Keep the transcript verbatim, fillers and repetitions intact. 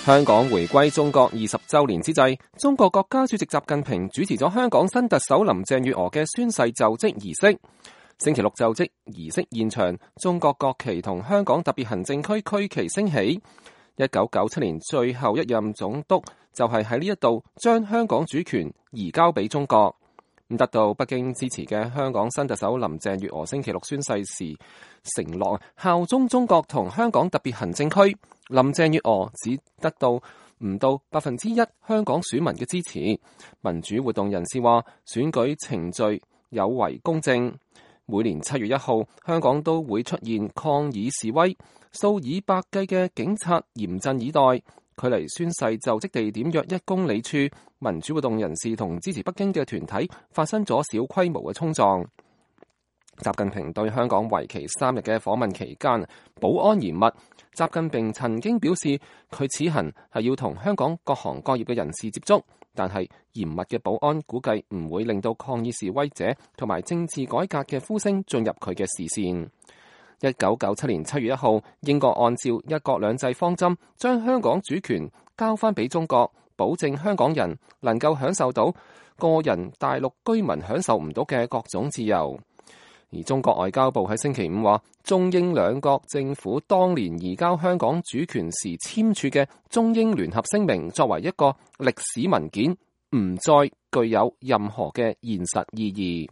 香港回歸中國二十週年之際，中國國家主席習近平主持咗香港新特首林鄭月娥嘅宣誓就職儀式。星期六就職儀式現場，中國國旗同香港特別行政區區旗升起。一九九七年最後一任總督就係喺呢一度將香港主權移交俾中國。得到北京支持嘅香港新特首林鄭月娥星期六宣誓時承諾效忠中國同香港特別行政區。林鄭月娥只得到唔到百分之一香港選民嘅支持。民主活動人士話選舉程序有違公正。每年七月一號，香港都會出現抗議示威，數以百計嘅警察嚴陣以待。距離宣誓就職地點約一公里處，民主活動人士同支持北京嘅團體發生咗小規模嘅衝撞。習近平對香港為期三日嘅訪問期間，保安嚴密。習近平曾經表示，佢此行係要同香港各行各業嘅人士接觸，但係嚴密嘅保安估計唔會令到抗議示威者同埋政治改革嘅呼聲進入佢嘅視線。一九九七年七月一號，英國按照一國兩制方針，將香港主權交翻俾中國，保證香港人能夠享受到個人大陸居民享受唔到嘅各種自由。而中國外交部喺星期五話，中英兩國政府當年移交香港主權時簽署嘅中英聯合聲明，作為一個歷史文件，唔再具有任何嘅現實意義。